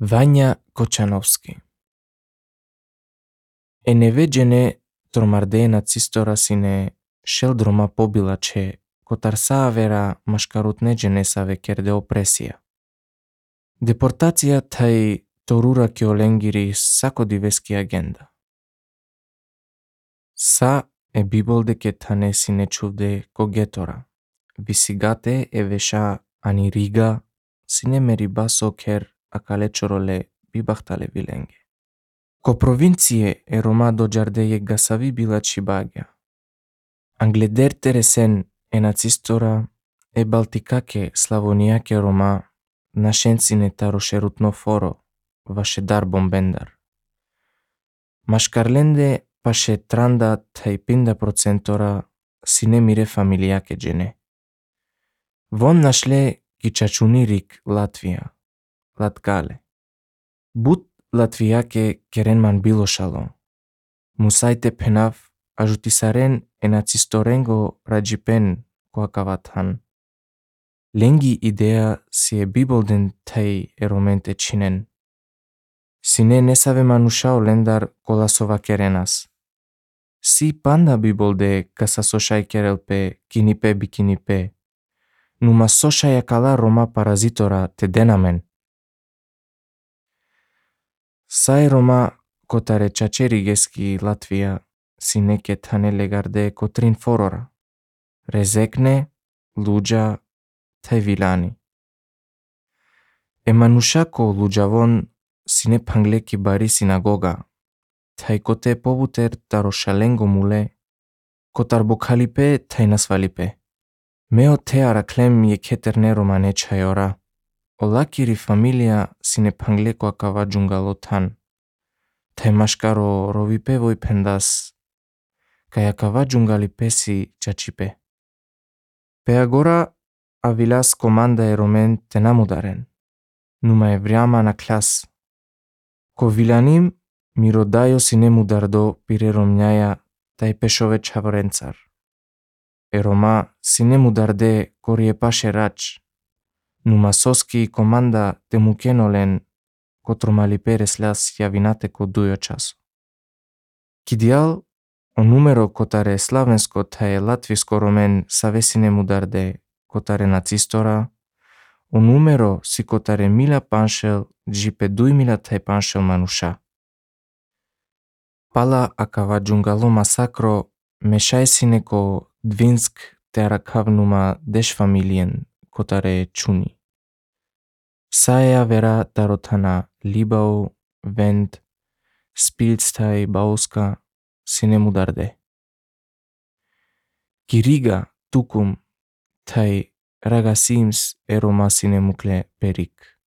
Vanja Kočanovski. E невеđene тромарде нацистора сине шелдрома побилаче котарсаавера машкарутнеđенесаве керде опресија. Депортација тај торура ке оленгири сакодивески агенда. Са е биболде ке тане сине чувде когетора. Висигате е веша ани рига сине мерибасо кер акалечороле бибахтале виленге. Ко провинцие е рома доđardeje гасави билачи багја. Англедер тересен е нацистора е балтикаке славонијаке рома нашенцине тарошерутно форо ваше дар бомбендар. Машкарленде паше транда тај 50% сине мире фамилијаке джене. Вон нашле ги чачунирик Латвија, Латгале. Бут Латвијаке керенман билошало. Мусајте пенав ажутисарен е нацисторенго раджипен коакаватхан. Ленги идеја си е биболден тај ероменте чинен. Сине не саве манушао лендар коласова керенас. Си панда биболде каса сошај керелпе кинипе бикинипе. Нума сошаја кала рома паразитора те денамен. Сај рома котаре чачеригески Латвија си неке тане легарде котрин форора. Резекне, луѓа, тај вилани. Е манушако луѓавон си не панглеки бари синагога. Тај коте повутер тарошаленго муле, котар бокалипе тај насвалипе. Мео те араклем е кетерне романе чајора. Олакири фамилија си не панглеко акава џунгало тан. Тај машкаро ровипе вој пендас. Кај акава џунгалипе си чачипе. Пеагора авилас команда е ромен те намударен. Нума е врјама на клас. Ко виланим миродајо си не мудардо пире ромњаја тај пешове чавренцар. Е рома си не мударде кори е паше рач. Нума соски команда те мукенолен котромали переслас јавинате ко дујо часо. Кидијал о нумеро котаре славенско тај латвиско ромен савесине мударде котаре нацистора, о нумеро си котаре мила паншел джипе дујмила тај паншел мануша. Пала акава џунгало масакро мешајсине ко двинск те аракавнума деш фамилиен котаре чуни. Саја вера таротана Либау, Вент, Спилцтај, Бауска, сине мударде. Кирига, Тукум, тај Рагасимс е рома сине мукле перик.